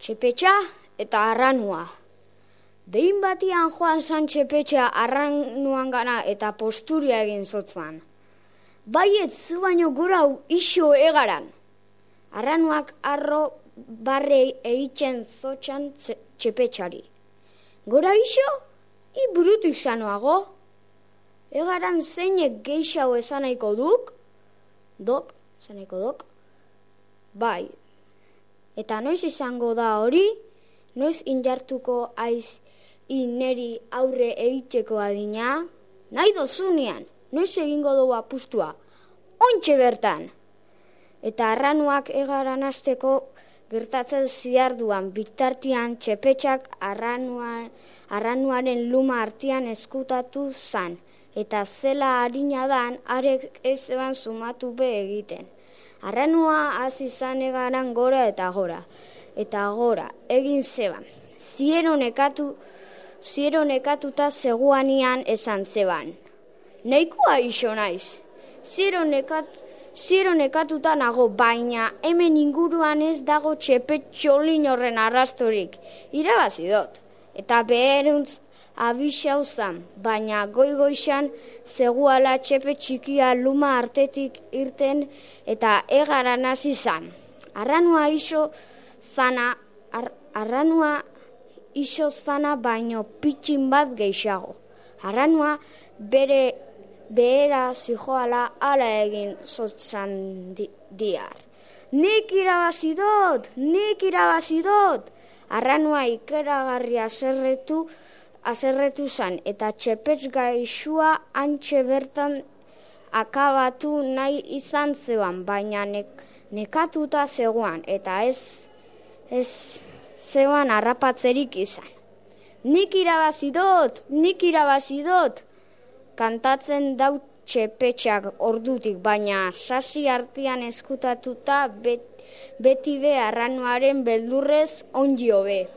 Txepetxa eta arranua. Behin batian joan zan txepetxa arranuan gana eta posturia egin zotzan. Baiet zu baino gora iso egaran. Arranuak arro barrei eitzen zotxan txepetxari. Gora iso, burutik zanoago. Egaran zeinek geixau esanaiko duk? Dok, esanaiko dok? Bai. Eta noiz izango da hori? Noiz indartuko aiz neri aurre eitzeko adina? Nahi dozunean, noiz egingo dugu apustua? Ontxe bertan! Eta arranuak egaran hasteko gertatzen ziarduan bitartian txepetxak arranuaren luma artean eskutatu zan. Eta zela harina dan, arek ez eban sumatu be egiten. Arranua hasi zan egaran gora eta gora. Eta gora, egin zeban. Ziero nekatuta zegoanian esan zeban. Neikoa iso naiz. Ziero nekatuta nago, baina hemen inguruan ez dago txepetxolin horren arrastorik. Irabazi dut. Eta beheruntz abixau zan, baina goigoixan zegoala txepe txikia luma artetik irten eta egaran hasi zan. Arranua iso zana baino pitxin bat geixago. Arranua behera zijoala ala egin zotzan diar. Nik irabazi dut! Arranua ikeragarria aserretu zan eta txepetx gaixua antxe bertan akabatu nahi izan zeban, baina nekatuta zegoan eta ez zegoan harrapatzerik izan. Nik irabazi dut! Kantatzen dau txepetxak ordutik, baina sasi artean eskutatuta beti be arranuaren beldurrez ongi hobe.